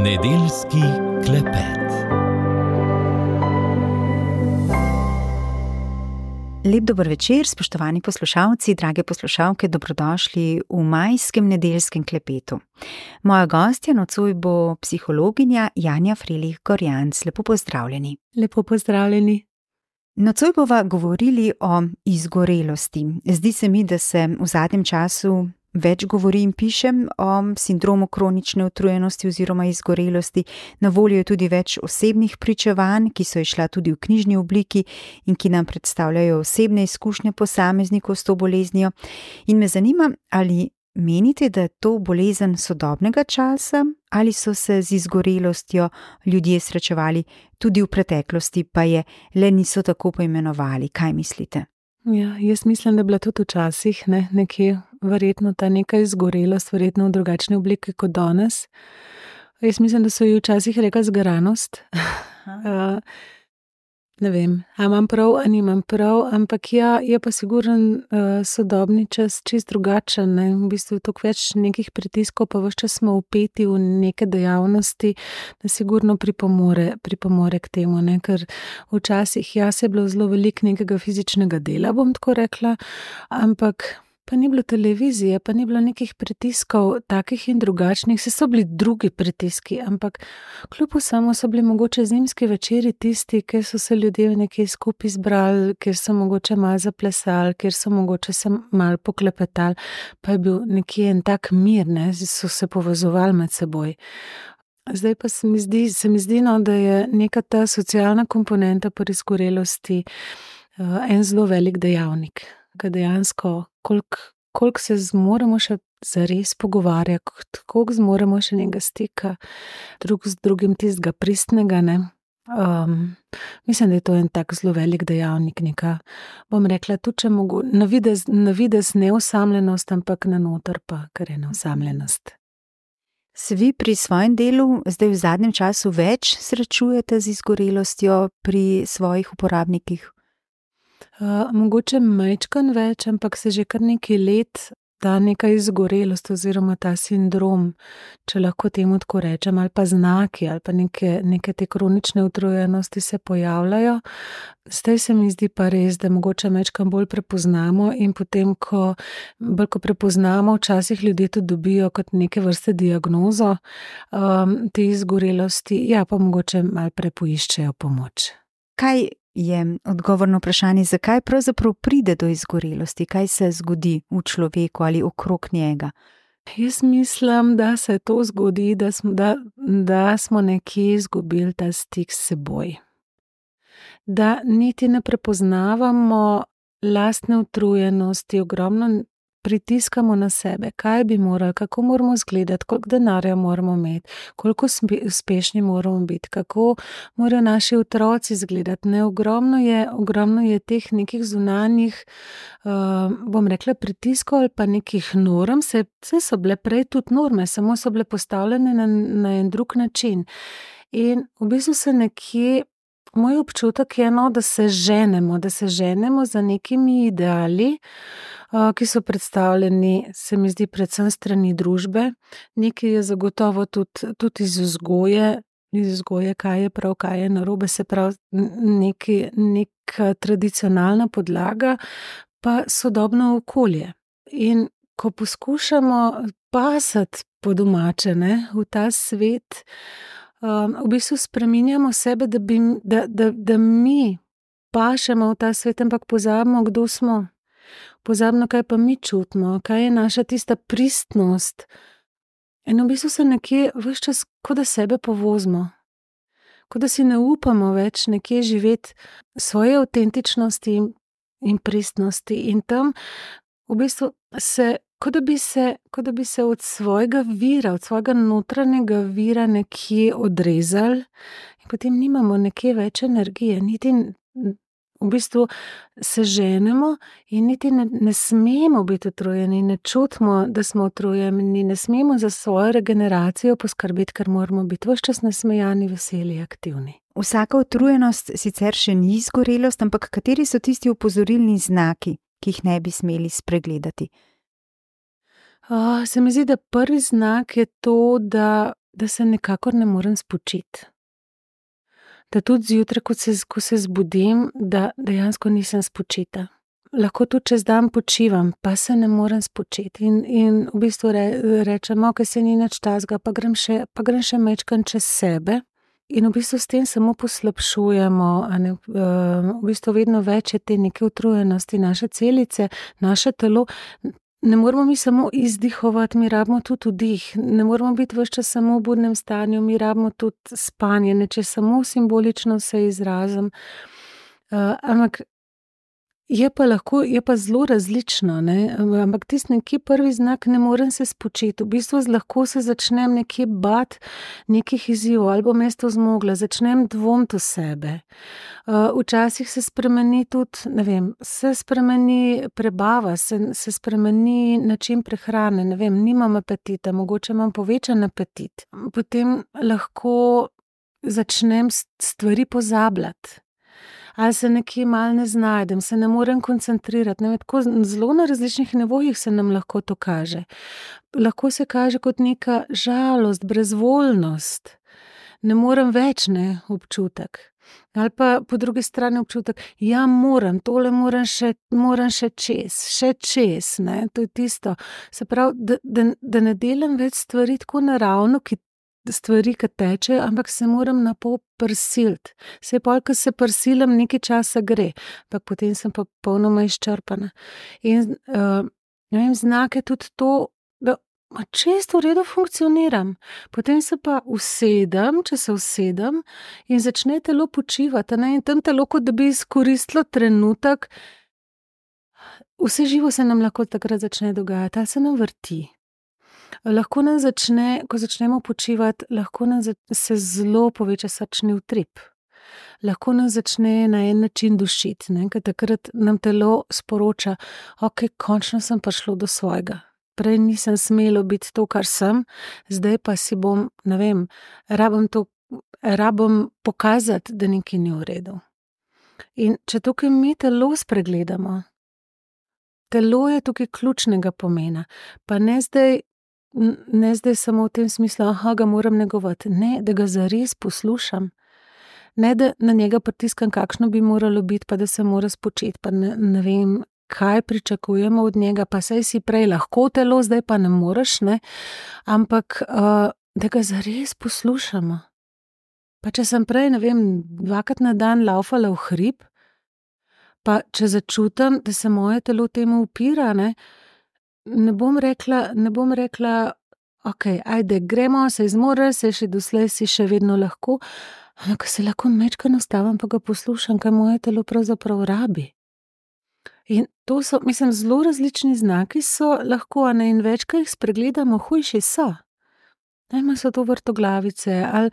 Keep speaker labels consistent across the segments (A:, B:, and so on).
A: Nedeljski klepet.
B: Lep dober večer, spoštovani poslušalci, drage poslušalke, dobrodošli v majskem nedeljskem klepetu. Moja gostja nocoj bo psihologinja Janja Frelih Gorjanc. Lepo pozdravljeni.
C: Lepo pozdravljeni.
B: Nocoj bova govorili o izgorelosti. Zdi se mi, da se v zadnjem času več govori in pišem o sindromu kronične utrujenosti oziroma izgorelosti. Na voljo je tudi več osebnih pričevanj, ki so izšla tudi v knjižni obliki in ki nam predstavljajo osebne izkušnje posameznikov s to boleznijo. In me zanima, ali menite, da je to bolezen sodobnega časa ali so se z izgorelostjo ljudje srečevali tudi v preteklosti, pa je le niso tako poimenovali. Kaj mislite?
C: Ja, jaz mislim, da je bila tudi včasih nekje verjetno ta neka izgorelost, verjetno v drugačni obliki kot danes. Jaz mislim, da so ji včasih rekli zgaranost. Ne vem, a imam prav, a nimam prav, ampak ja, je pa sigurno sodobni čas čist drugačen. V bistvu toliko več nekih pritiskov, pa ves čas smo vpeti v neke dejavnosti, da sigurno pripomore k temu, ker včasih se je bilo zelo veliko nekega fizičnega dela, bom tako rekla, ampak pa ni bilo televizije, pa ni bilo nekih pritiskov takih in drugačnih, so bili drugi pritiski, ampak kljub vsemu so bili mogoče zimski večeri tisti, kjer so se ljudje nekje skupaj zbrali, kjer so mogoče malo zaplesali, kjer so mogoče se malo poklepetali, pa je bil nekje en tak mir, so se povezovali med seboj. Zdaj pa se mi zdi, da je neka ta socialna komponenta pri izgorelosti en zelo velik dejavnik, ki dejansko koliko se zmoremo še zares pogovarjati, koliko zmoremo še nekega stika drug z drugim, tistega pristnega, mislim, da je to en tak zelo velik dejavnik, neka, bom rekla, tudi če navidez neosamljenost, ampak na noter pa kar je neosamljenost.
B: Se vi pri svojem delu zdaj v zadnjem času več srečujete z izgorelostjo pri svojih uporabnikih?
C: Mogoče majčkan več, ampak se že kar nekaj let ta neka izgorelost oziroma ta sindrom, če lahko temu tako rečem, ali pa znaki, ali pa neke te kronične utrujenosti se pojavljajo. Zdaj se mi zdi pa res, da mogoče majčkan bolj prepoznamo in potem, ko prepoznamo, včasih ljudje to dobijo kot neke vrste diagnozo te izgorelosti, pa mogoče malo prepoiščejo pomoč.
B: Kaj je odgovorno vprašanje, zakaj pravzaprav pride do izgorelosti, kaj se zgodi v človeku ali okrog njega?
C: Jaz mislim, da se to zgodi, da smo nekje izgubili ta stik s seboj. Da niti ne prepoznavamo lastne utrujenosti, ogromno pritiskamo na sebe, kaj bi morali, kako moramo izgledati, koliko denarja moramo imeti, koliko uspešni moramo biti, kako morajo naši otroci izgledati. Ogromno je teh nekih zunanjih, bom rekla, pritiskov ali pa nekih norm, saj so bile prej tudi norme, samo so bile postavljene na en drug način. In v bistvu se nekje, moj občutek je, da se ženemo za nekimi ideali, ki so predstavljeni, se mi zdi, predvsem strani družbe. Nekaj je zagotovo tudi iz vzgoje, kaj je prav, kaj je narobe, se pravi neka tradicionalna podlaga, pa sodobno okolje. In ko poskušamo pasati po domače, v ta svet, v bistvu spreminjamo sebe, da mi pašemo v ta svet, ampak pozabimo, kdo smo. Pozabimo, kaj pa mi čutimo, kaj je naša tista pristnost. In v bistvu se nekje ves čas, kot da sebe povozimo. Kot da si ne upamo več nekje živeti svoje avtentičnosti in pristnosti. In tam v bistvu se, kot da bi se od svojega vira, od svojega notranjega vira nekje odrezali in potem nimamo nekje več energije, niti v bistvu se ženemo in niti ne smemo biti utrujeni, ne čutimo, da smo utrujeni, ne smemo za svojo regeneracijo poskrbeti, ker moramo biti ves čas nasmejani, veseli, aktivni.
B: Vsaka utrujenost sicer še ni izgorelost, ampak kateri so tisti opozorilni znaki, ki jih ne bi smeli spregledati?
C: Se mi zdi, da prvi znak je to, da da se nikakor ne morem spočiti. Da tudi zjutraj, ko se zbudim, da dejansko nisem spočita. Lahko tudi čez dan počivam, pa se ne morem spočiti. In v bistvu rečem, okej, se ni nič takega, pa grem še majčkeno čez sebe. In v bistvu s tem samo poslabšujemo, v bistvu vedno več je te neke utrujenosti, naše celice, naše telo. Ne moramo mi samo izdihovati, mi rabimo tudi vdih. Ne moramo biti ves čas samo v budnem stanju, mi rabimo tudi spanje, če samo simbolično se izrazim. Ampak je pa zelo različno, ne? Ampak tisti nekje prvi znak, ne morem se spočiti. V bistvu lahko se začnem nekje bati nekih izzivov, ali bom jaz to zmogla, začnem dvomiti v sebe. Včasih se spremeni tudi, ne vem, se spremeni prebava, se spremeni način prehrane, ne vem, nimam apetita, mogoče imam povečan apetit. Potem lahko začnem stvari pozabljati. Ali se nekje malo ne znajdem, se ne morem koncentrirati. Ne vem, tako zelo na različnih nivojih se nam lahko to kaže. Lahko se kaže kot neka žalost, brezvoljnost. Ne morem več, ne, občutek. Ali pa po drugi strani občutek, ja, tole moram še čez, ne, to je tisto. Se pravi, da ne delam več stvari tako naravno, stvari, ki tečejo, ampak se moram na pol prisiliti. Saj pol, ko se prisilim, nekaj časa gre, ampak potem sem pa popolnoma izčrpana. In ne vem, znak je tudi to, da čisto v redu funkcioniram. Potem se pa usedem, če se usedem in začne telo počivati, ne, in tam telo, kot da bi izkoristilo trenutek, vse živo se nam lahko takrat začne dogajati, ali se nam vrti. Lahko nam začne, ko začnemo počivati, lahko nam se zelo poveča srčni utrip. Lahko nam začne na en način dušiti, ne, ker takrat nam telo sporoča, okej, končno sem prišlo do svojega. Prej nisem smelo biti to, kar sem, zdaj pa si bom, ne vem, rabim pokazati, da nekaj ni v redu. In če tukaj mi telo spregledamo, telo je tukaj ključnega pomena, pa ne zdaj samo v tem smislu, ga moram negovati. Ne, da ga zares poslušam. Ne, da na njega pritiskam, kakšno bi moralo biti, pa da se mora spočiti, pa ne vem, kaj pričakujemo od njega, pa saj si prej lahko telo, zdaj pa ne moreš, ne. Ampak, da ga zares poslušamo. Pa če sem prej, ne vem, 2-krat na dan laufala v hrib, pa če začutim, da se moje telo temu upira, ne bom rekla, okej, ajde, gremo, se zmoreš, se še doslej si še vedno lahko, ampak se lahko majčkeno ustavim, pa ga poslušam, kaj moje telo pravzaprav rabi. In to so, mislim, zelo različni znaki so lahko, ne, in več, ko jih spregledamo, hujši so. Najma so to vrtoglavice, ali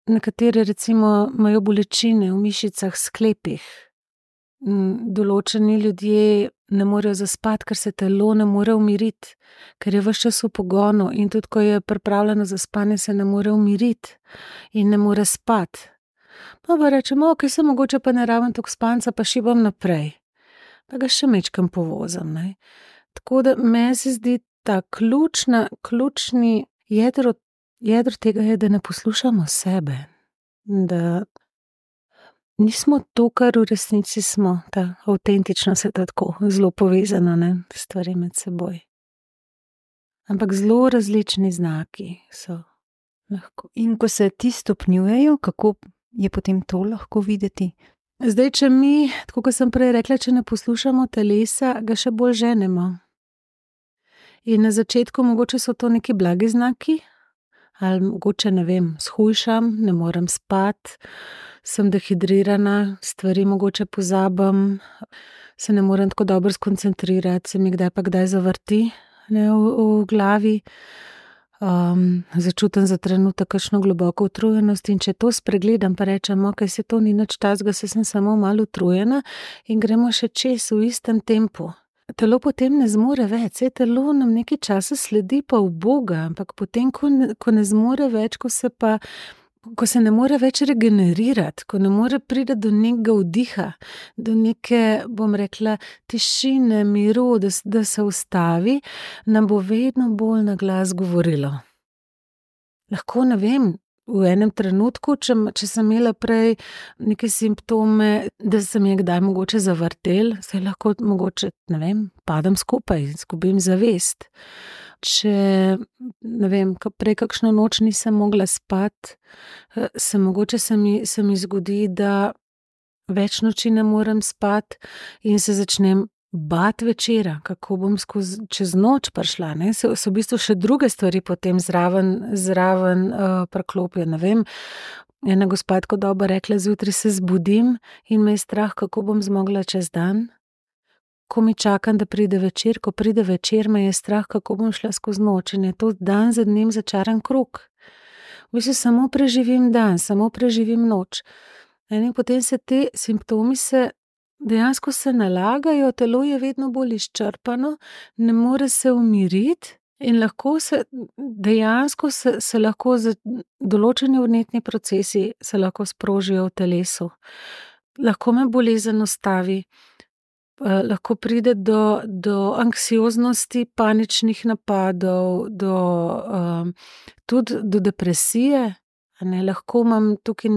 C: nekateri recimo imajo bolečine v mišicah, sklepih. Določeni ljudje ne morejo zaspati, ker se telo ne more umiriti, ker je ves čas v pogonu, in tudi ko je pripravljeno za spanje, se ne more umiriti in ne more spati. Pa rečemo, okej, se mogoče pa ne rabim toliko spanca, pa šibam naprej. Pa ga še majčkeno povozim, ne. Tako da meni se zdi ta ključni jedro tega je, da ne poslušamo sebe. Da nismo to, kar v resnici smo, ta avtentičnost je tako zelo povezana, ne, stvari med seboj. Ampak zelo različni znaki so lahko.
B: In ko se ti stopnjujejo, kako je potem to lahko videti?
C: Zdaj, če mi, tako kot sem prej rekla, če ne poslušamo telesa, ga še bolj ženemo. In na začetku mogoče so to neki blagi znaki, ali mogoče, ne vem, shujšam, ne morem spati, sem dehidrirana, stvari mogoče pozabim, se ne morem tako dobro skoncentrirati, se mi kdaj pa kdaj zavrti, ne, v glavi. Začutim za trenutek kakšno globoko utrujenost, in če to spregledam, pa rečem, okej, se to ni nič takega, se sem samo malo utrujena, in gremo še čez v istem tempu. Telo potem ne zmore več, telo nam nekaj časa sledi pa uboga, ampak potem, ko ne zmore več, ko se ne more več regenerirati, ko ne more priti do nekega vdiha, do neke, bom rekla, tišine, miru, da se ustavi, nam bo vedno bolj na glas govorilo. lahko, ne vem, v enem trenutku, če sem imela prej neke simptome, da se mi je kdaj mogoče zavrtel, se lahko mogoče, ne vem, padem skupaj, izgubim zavest. Če, ne vem, prej kakšno noč nisem mogla spati, se mi zgodi, da več noči ne morem spati in se začnem bati večera, kako bom čez noč prišla, ne. So v bistvu še druge stvari potem zraven priklopijo, ne vem. Ena gospa je tako dobro rekla: "Zjutraj se zbudim in me je strah, kako bom zmogla čez dan. Ko mi čakam, da pride večer, ko pride večer, me je strah, kako bom šla skozi noč." In je to dan za dnem začaran krog. V bistvu samo preživim dan, samo preživim noč. In potem se te simptomi dejansko se nalagajo, telo je vedno bolj izčrpano, ne more se umiriti in lahko dejansko se lahko določeni vnetni procesi se lahko sprožijo v telesu. Lahko me bolezen ustavi, lahko pride do anksioznosti, paničnih napadov, tudi do depresije. Lahko imam tukaj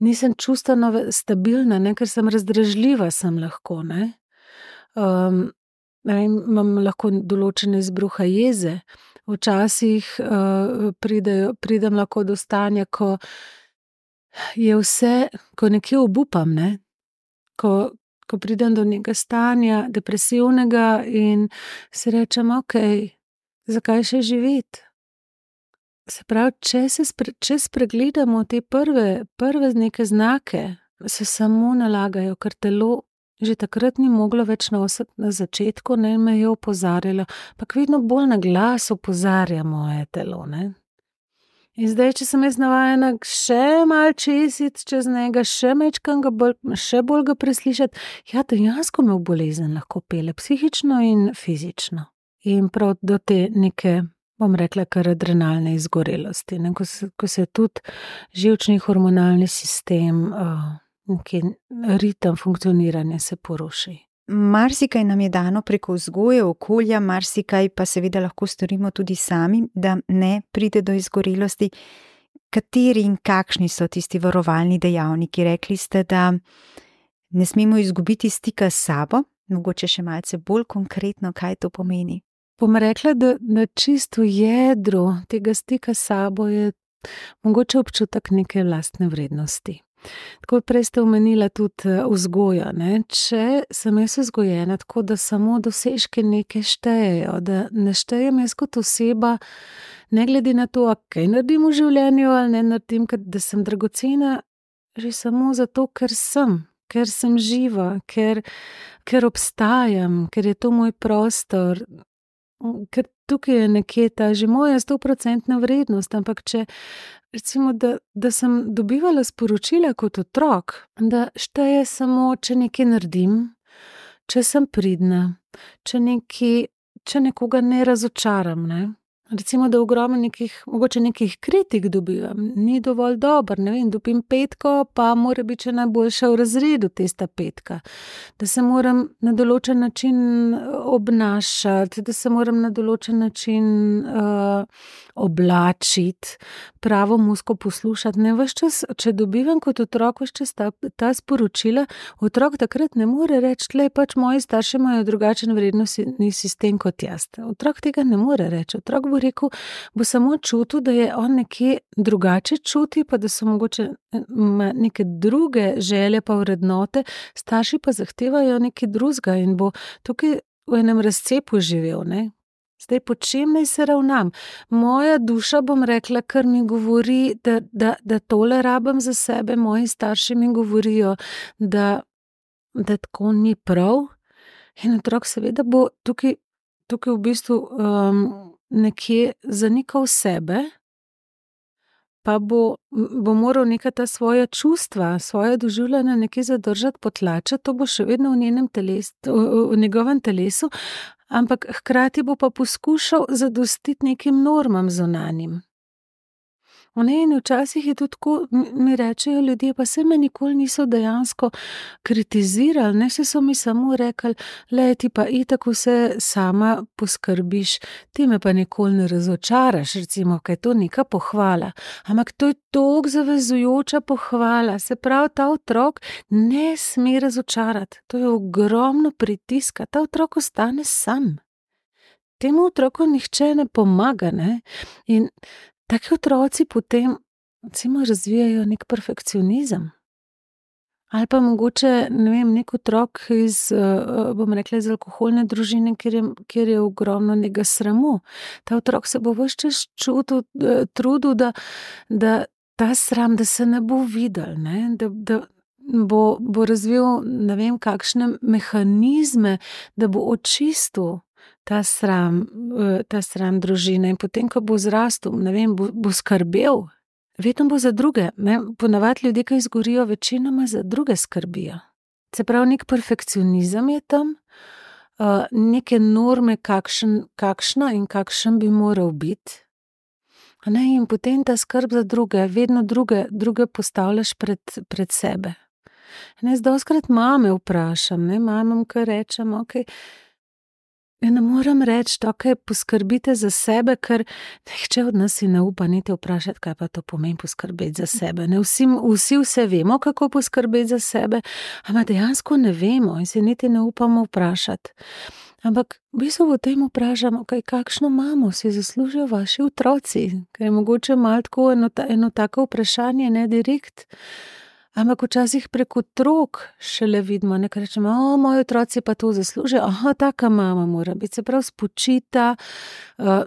C: nisem čustveno stabilna, ne, ker sem razdražljiva, sem lahko, ne. Imam lahko določene izbruhe jeze. Včasih pridem lahko do stanja, ko je vse, ko nekje obupam, ne. Ko pridem do nekega stanja depresivnega in si rečem: "Okej, zakaj še živeti?" Se pravi, če spregledamo te prve neke znake, se samo nalagajo, ker telo že takrat ni moglo več nositi na začetku, ne, me je opozarjalo, ampak vedno bolj na glas opozarja moje telo, ne. In zdaj, če sem jaz navajena še malo česiti čez njega, še majčkeno še bolj ga preslišati, ja, dejansko me v bolezen lahko pelje, psihično in fizično. In prav do te neke, bom rekla, kar adrenalne izgorelosti, ne, ko se tudi živčni hormonalni sistem, neki ritem funkcioniranja se poruši.
B: Marsikaj nam je dano preko vzgoje, okolja, marsikaj pa seveda lahko storimo tudi sami, da ne pride do izgorelosti. Kateri in kakšni so tisti varovalni dejavniki? Rekli ste, da ne smemo izgubiti stika s sabo, mogoče še malce bolj konkretno, kaj to pomeni?
C: Bom rekla, da čisto jedro tega stika s sabo je mogoče občutek neke lastne vrednosti. Tako prej ste omenila tudi vzgojo, ne. Če sem jaz vzgojena tako, da samo dosežki neke štejejo, da ne štejem jaz kot oseba, ne glede na to, kaj naredim v življenju ali ne naredim, da sem dragocena že samo zato, ker sem živa, ker obstajam, ker je to moj prostor, ker tukaj je nekje ta že moja 100% vrednost, ampak če recimo, da sem dobivala sporočila kot otrok, da šteje samo, če nekaj naredim, če sem pridna, če nekoga ne razočaram, ne. Recimo, da ogromno mogoče nekih kritik dobivam, ni dovolj dober, ne vem, dobim 5, pa mora biti še najboljša v razredu tista 5. Da se moram na določen način obnašati, da se moram na določen način oblačiti, pravo muziko poslušati, ne, ves čas, če dobivam kot otrok ves čas ta sporočila, otrok takrat ne more reči: "Glej, pač moji starši imajo drugačen vrednostni sistem kot jaz." Otrok tega ne more reči, otrok bo rekel, bo samo čutil, da je on nekje drugače čuti, pa da so mogoče neke druge želje pa vrednote, starši pa zahtevajo nekaj drugega in bo tukaj v enem razcepu živel, ne. Zdaj, po čem naj se ravnam? Moja duša, bom rekla, kar mi govori, da tole rabim za sebe, moji starši mi govorijo, da tako ni prav. In otrok seveda bo tukaj v bistvu nekje zanikal sebe, pa bo moral neka ta svoja čustva, svoje doživljanja nekje zadržati, potlačiti, to bo še vedno v njegovem telesu, ampak hkrati bo pa poskušal zadostiti nekim normam zunanjim. Ne, in včasih je tudi tako, mi rečejo ljudje, pa se me nikoli niso dejansko kritizirali, ne, se so mi samo rekli, le ti pa itak vse sama poskrbiš, ti me pa nikoli ne razočaraš, recimo, kaj je to neka pohvala. Ampak to je toliko zavezujoča pohvala, se pravi, ta otrok ne sme razočarati, to je ogromno pritiska, ta otrok ostane sam. Temu otroku nihče ne pomaga, ne, in taki otroci potem, recimo, razvijajo nek perfekcionizem. Ali pa mogoče, ne vem, nek otrok iz, bom rekla, iz alkoholne družine, kjer je ogromno nekega sramu. Ta otrok se bo ves čas trudil, da ta sram, da se ne bo videl, ne, da bo razvil, ne vem, kakšne mehanizme, da bo očistil ta sram družine, in potem, ko bo zrastel, ne vem, bo skrbel, vedno bo za druge, ne, ponavadi ljudje, ki izgorijo, večinoma za druge skrbijo. Se pravi, nek perfekcionizem je tam, neke norme, kakšna in kakšen bi moral biti, ne, in potem ta skrb za druge, vedno druge postavljaš pred sebe. Ne, dostikrat mame vprašam, ne, mamam, ko rečem, okej, ne morem reči, okej, poskrbite za sebe, ker nihče od nas si ne upa niti vprašati, kaj pa to pomeni poskrbeti za sebe. Ne, vsi vse vemo, kako poskrbeti za sebe, ampak dejansko ne vemo in se niti ne upamo vprašati. Ampak v bistvu v tem vprašam, okej, kakšno mamo si zaslužijo vaši otroci, ker je mogoče malo tako eno tako vprašanje, ne direkt. Ampak včasih prek otrok šele vidimo, nekaj rečemo, moji otroci pa to zaslužijo, taka mama mora biti, se pravi spočita,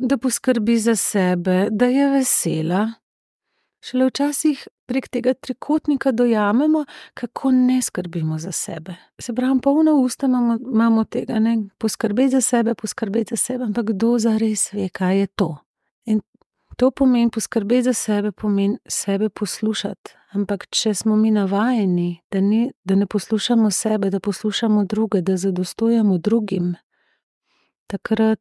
C: da poskrbi za sebe, da je vesela. Šele včasih prek tega trikotnika dojamemo, kako ne skrbimo za sebe. Se pravi, polna usta imamo tega, ne, poskrbeti za sebe, ampak kdo zares ve, kaj je to? In to pomeni poskrbeti za sebe, pomeni sebe poslušati. Ampak če smo mi navajeni, da ne poslušamo sebe, da poslušamo druge, da zadostujemo drugim, takrat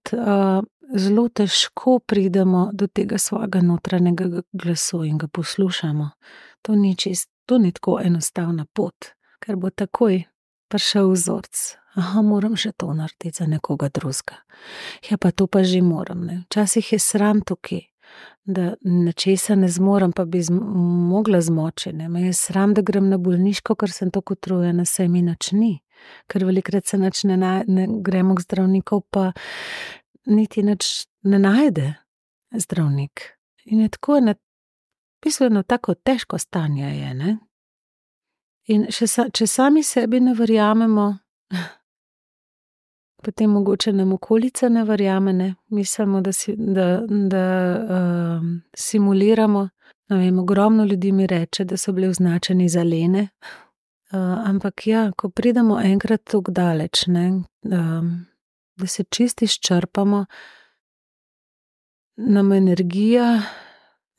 C: zelo težko pridemo do tega svojega notranjega glasu in ga poslušamo. To ni tako enostavna pot, ker bo takoj prišel vzorc. Moram še to narediti za nekoga drugega. Ja, pa to pa že moram, ne. Včasih je sram tukaj, da nečesa ne zmorem, pa bi mogla zmoči, ne. Me je sram, da grem na bolniško, ker sem tako utrujena, saj mi nič ni. Ker velikokrat se nič ne gremo k zdravniku, pa niti nič ne najde zdravnik. In je tako v bistvu eno tako težko stanje je, ne. In če sami sebi ne verjamemo, potem mogoče nam okolica ne verjame, ne, mislimo, da simuliramo, ne vem, ogromno ljudi mi reče, da so bili označeni za lene, ampak ja, ko pridemo enkrat tako daleč, ne, da se čisto izčrpamo, nam energija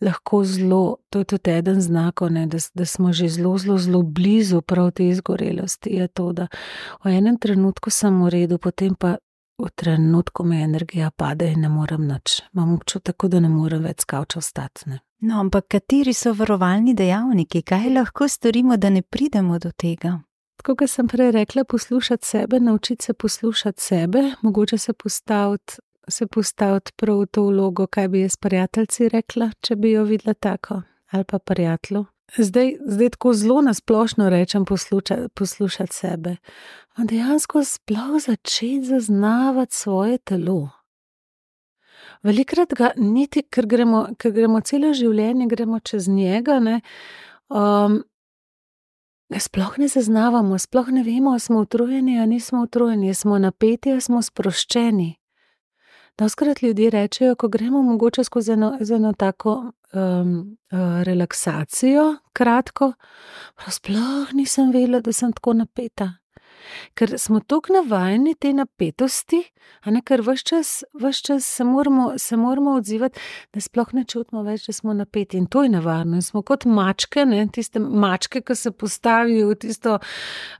C: lahko zelo, to je tudi eden znakov, ne, da smo že zelo blizu prav te izgorelosti, je to, da v enem trenutku sem v redu, potem pa v trenutku me energija pade in ne morem nič. Imam občutek, da ne morem več s kavča vstati, ne.
B: No, ampak kateri so varovalni dejavniki? Kaj lahko storimo, da ne pridemo do tega?
C: Tako, kot sem prej rekla, poslušati sebe, naučiti se poslušati sebe, mogoče se postaviti prav v to vlogo, kaj bi jaz prijateljici rekla, če bi jo videla tako, ali pa prijatelju. Zdaj tako zelo nasplošno rečem poslušati sebe. Dejansko sploh začeti zaznavati svoje telo. Velikokrat ga niti, ker gremo celo življenje, gremo čez njega, ne, sploh ne zaznavamo, sploh ne vemo, ali smo utrujeni, ali nismo utrujeni, ali smo napeti, ali smo sproščeni. Dostikrat ljudje rečejo, ko gremo mogoče skozi eno tako relaksacijo, kratko, sploh nisem vedela, da sem tako napeta. Ker smo toliko navajeni te napetosti, ker ves čas se moramo odzivati, da sploh ne čutimo več, da smo napeti. In to je nevarno. In smo kot mačke, ne, tiste mačke, ki se postavijo v tisto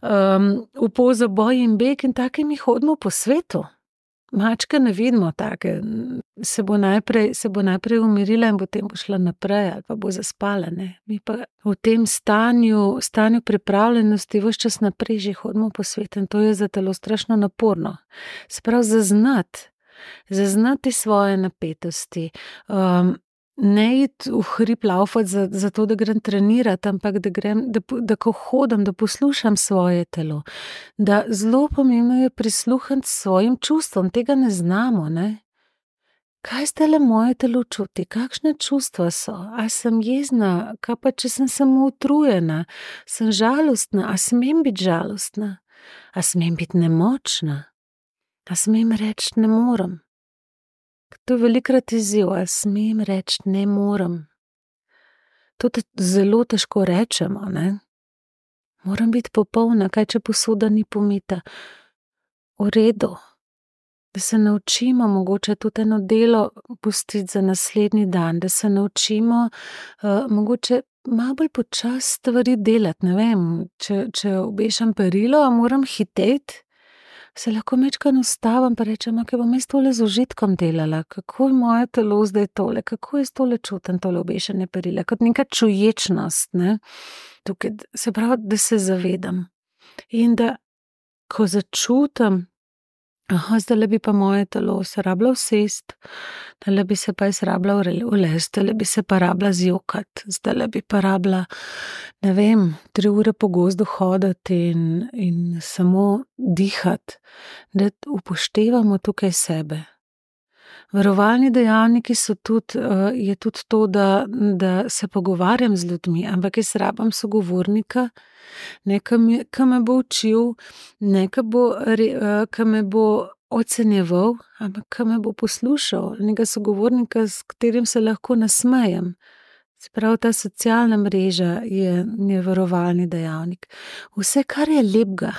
C: v pozo boj in beg, in take mi hodimo po svetu. mačke ne vidimo take, se bo najprej umirila in potem bo šla naprej ali pa bo zaspala, ne. Mi pa v tem stanju pripravljenosti ves čas naprej že hodimo po svetu in to je za telo strašno naporno. Se pravi, zaznati svoje napetosti, ne iti v hrib laufat zato, da grem trenirati, ampak da ko hodim, da poslušam svoje telo. Da zelo pomembno je prisluhniti svojim čustvom, tega ne znamo, ne. Kaj zdajle moje telo čuti, kakšne čustva so, a sem jezna, kaj pa če sem samo utrujena, sem žalostna, a smem biti žalostna, a smem biti nemočna, a smem reči ne morem. To je velikokrat izziv, a smem reči ne morem. To zelo težko rečemo, ne. Moram biti popolna, kaj če posoda ni pomita. V redu. Da se naučimo mogoče tudi eno delo pustiti za naslednji dan, da se naučimo mogoče malo bolj počasi stvari delati, ne vem, če obešam perilo, a moram hiteti, se lahko majčkeno ustavim pa rečem, okej, bom jaz tole z užitkom delala, kako je moje telo zdaj tole, kako jaz tole čutim, tole obešanje perila, kot neka čuječnost, ne. Tukaj, se pravi, da se zavedam. In da, ko začutim, zdajle bi pa moje telo se rabila usesti, zdajle bi se pa jaz rabila ulesti, zdajle bi se pa rabila zjokati, zdajle bi pa rabila, ne vem, 3 ure po gozdu hoditi in samo dihati, da upoštevamo tukaj sebe. Varovalni dejavniki so tudi, je tudi to, da se pogovarjam z ljudmi, ampak jaz rabim sogovornika, ne, ki me bo učil, ne, ki me bo ocenjeval, ampak ki me bo poslušal, nekega sogovornika, s katerim se lahko nasmejem. Se pravi, ta socialna mreža je varovalni dejavnik. Vse, kar je lepega.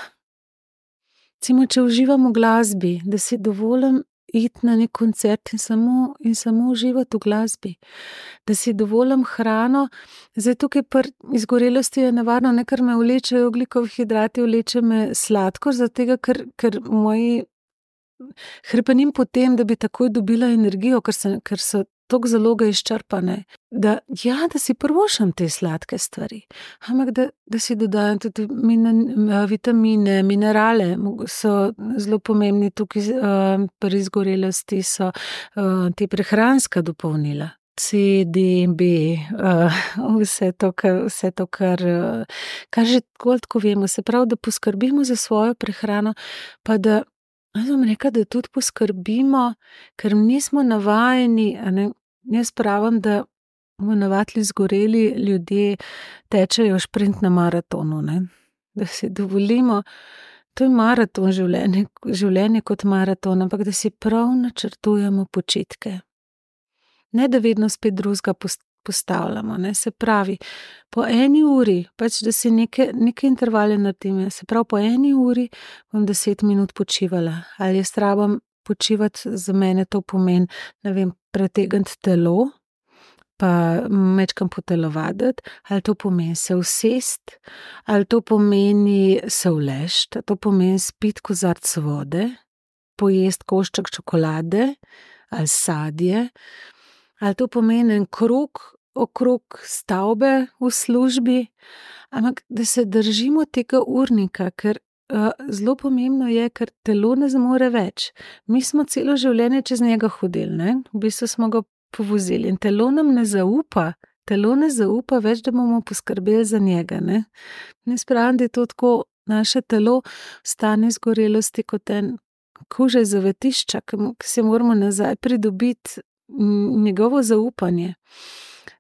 C: Recimo, če uživam v glasbi, da si dovolim iti na nek koncert in samo uživati v glasbi. Da si dovolim hrano, zdaj tukaj pri izgorelosti je nevarno, ne, ker me vlečejo ogljikovi hidrati, vleče me sladkor, zaradi tega, ker moji hrepenim po tem, da bi takoj dobila energijo, ker so toliko zaloge izčrpane, da si privoščim te sladke stvari, ampak da si dodajam tudi vitamine, minerale, so zelo pomembni tukaj, pri izgorelosti so te prehranska dopolnila. C, D, B, vse to, kar že tako vemo, se pravi, da poskrbimo za svojo prehrano, pa da, jaz bom rekla, da tudi poskrbimo, ker nismo navajeni, a ne, jaz pravim, da navadili izgoreli ljudje tečejo šprint na maratonu, ne, da si dovolimo, to je maraton življenje kot maraton, ampak da si prav načrtujemo počitke. Ne, da vedno spet drugega postavljamo, ne, se pravi, po 1 uri, pač da si neke intervale naredim, se pravi, po 1 uri bom 10 minut počivala, ali jaz rabim počivati, za mene to pomeni, ne vem, pretegniti telo, pa majčkeno potelovaditi, ali to pomeni se usesti, ali to pomeni se uleči, to pomeni spiti kozarec vode, pojesti košček čokolade, ali sadje, ali to pomeni en krog okrog stavbe v službi, ampak da se držimo tega urnika, ker zelo pomembno je, ker telo ne zmore več. Mi smo celo življenje čez njega hodili, ne, v bistvu smo ga povozili in telo nam ne zaupa več, da bomo poskrbeli za njega, ne. Jaz pravim, da je to tako, naše telo stane izgorelosti kot en kuža iz zavetišča, ki si moramo nazaj pridobiti njegovo zaupanje.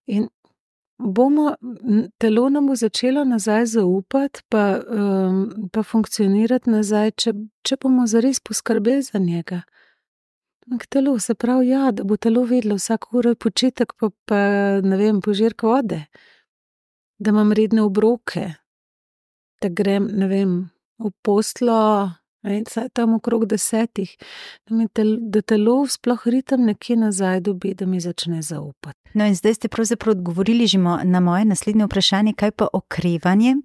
C: In telo nam bo začelo nazaj zaupati, pa funkcionirati nazaj, če bomo zares poskrbeli za njega. Telo, se pravi, da bo telo vedelo vsako uro počitek, pa ne vem, požirek vode, da imam redne obroke, da grem, ne vem, v posteljo, tam okrog 10, da telo sploh ritem nekje nazaj dobi, da mi začne zaupati.
B: No, in zdaj ste pravzaprav odgovorili že na moje naslednje vprašanje, kaj pa okrevanje?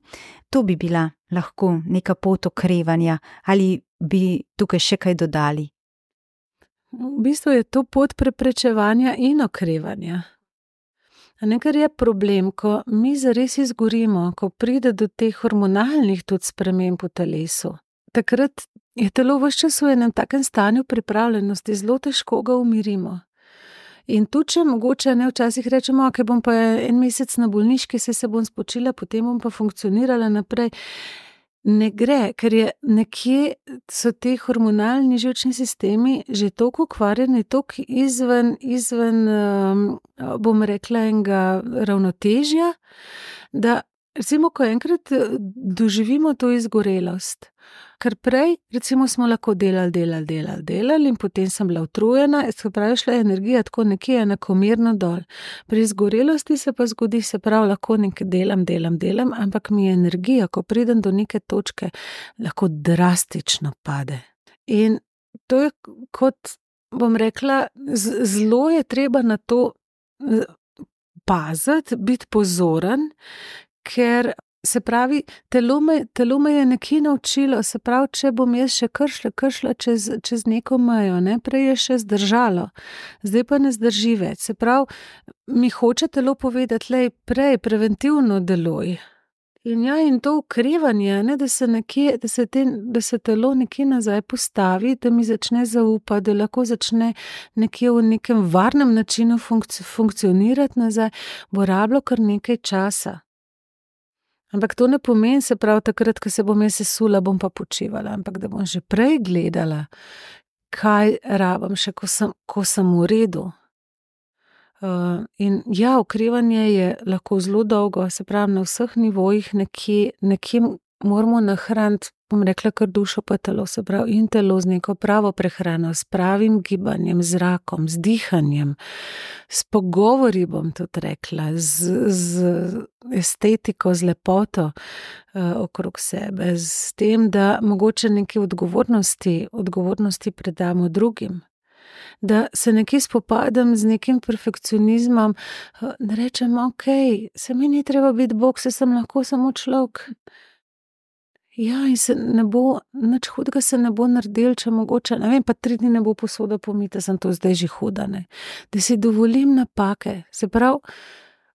B: To bi bila lahko neka pot okrevanja, ali bi tukaj še kaj dodali?
C: v bistvu je to pot preprečevanja in okrevanja. Kar je problem, ko mi zares izgorimo, ko pride do teh hormonalnih tudi sprememb v telesu. Takrat je telo ves čas v enem takem stanju pripravljenosti, zelo težko ga umirimo. In tudi, če mogoče včasih rečemo, ok, bom pa en mesec na bolniški, se bom spočila, potem bom pa funkcionirala naprej. Ne gre, ker je nekje so te hormonalni živčni sistemi že toliko ukvarjeni, toliko izven, bom rekla, enega ravnotežja, da recimo, ko enkrat doživimo to izgorelost, ker prej, recimo, smo lahko delali in potem sem bila utrujena, se pravi, šla je energija tako nekje enakomerno dol. Pri izgorelosti se pa zgodi, se pravi, lahko nekaj delam, ampak mi energija, ko pridem do neke točke, lahko drastično pade. In to je kot, bom rekla, zelo je treba na to paziti, biti pozoren, ker se pravi, telo me je nekje naučilo, se pravi, če bom jaz še kršla čez neko mejo, prej je še zdržalo, zdaj pa ne zdrži več. Se pravi, mi hoče telo povedati, lej, prej preventivno deluj. In to ukrevanje, da se telo nekje nazaj postavi, da mi začne zaupati, da lahko začne nekje v nekem varnem načinu funkcionirati nazaj, bo rabilo kar nekaj časa. Ampak to ne pomeni, se pravi, takrat, ko se bom jaz sesula, bom pa počivala, ampak da bom že prej gledala, kaj rabim še, ko sem v redu. In ja, okrevanje je lahko zelo dolgo, se pravi, na vseh nivojih nekje moramo nahraniti, bom rekla, kar dušo pa telo, se pravi, in telo z neko pravo prehrano, s pravim gibanjem, zrakom, z dihanjem, s pogovori, bom tudi rekla, z estetiko, z lepoto okrog sebe, s tem, da mogoče neke odgovornosti predamo drugim. Da se nekje spopadam z nekim perfekcionizmom, da rečem, ok, se mi ni treba biti Bog, se sem lahko samo človek. Ja, in se ne bo, nič hudega se ne bo naredil, če mogoče, ne vem, pa 3 dni ne bo posoda pomita, sem to zdaj že huda, ne. Da si dovolim napake, se pravi,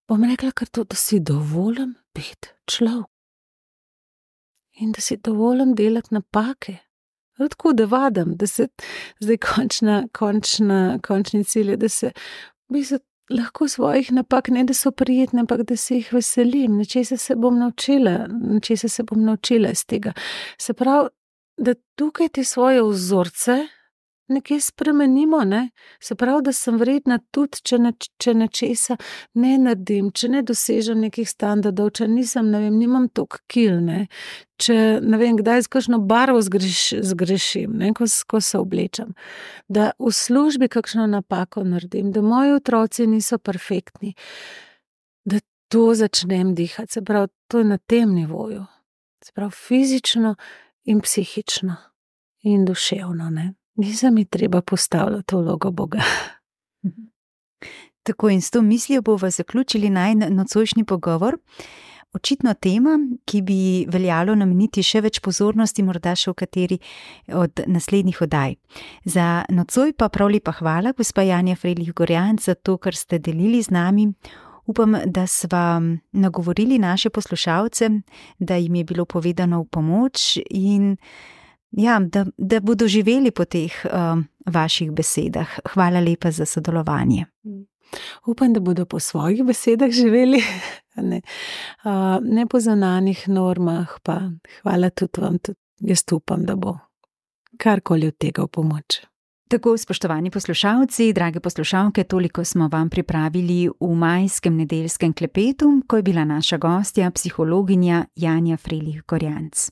C: bom rekla kar to, da si dovolim biti človek. In da si dovolim delati napake. Tako da vadim, da se zdaj končni cilj je, da se v bistvu lahko svojih napak, ne da so prijetne, ampak da se jih veselim, nečesa se bom naučila iz tega. Se pravi, da tukaj te svoje vzorce nekje spremenimo, ne? Se pravi, da sem vredna tudi, če nečesa ne naredim, če ne dosežem nekih standardov, če nisem, ne vem, nimam toliko kil, ne? Če, ne vem, kdaj z kakšno barvo zgrešim, ne? Ko se oblečem. Da v službi kakšno napako naredim, da moji otroci niso perfektni, da to začnem dihati, se pravi, to je na tem nivoju. Se pravi, fizično in psihično in duševno, ne? Nisem mi treba postavljati vlogo Boga.
B: Tako, in s to mislijo bova zaključili najin nocojšnji pogovor. Očitno tema, ki bi veljalo nameniti še več pozornosti, morda še v kateri od naslednjih oddaj. Za nocoj pa prav lepa hvala, gospa Janja Frelih Gorjanc, za to, kar ste delili z nami. Upam, da sva nagovorili naše poslušalce, da jim je bilo povedano v pomoč in ja, da bodo živeli po teh vaših besedah. Hvala lepa za sodelovanje.
C: Upam, da bodo po svojih besedah živeli, ne po zunanjih normah, pa hvala tudi vam, tudi jaz upam, da bo karkoli od tega v pomoč.
B: Tako, spoštovani poslušalci, drage poslušalke, toliko smo vam pripravili v majskem nedeljskem klepetu, ko je bila naša gostja, psihologinja Janja Frelih Gorjanc.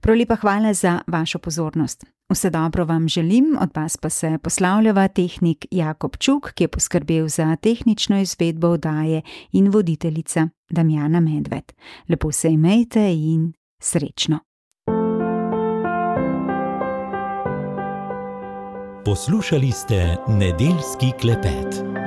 B: Prav lepa hvala za vašo pozornost. Vse dobro vam želim, od vas pa se poslavljava tehnik Jakob Čuk, ki je poskrbel za tehnično izvedbo oddaje, in voditeljica Damjana Medved. Lepo se imejte in srečno.
A: Poslušali ste nedeljski klepet.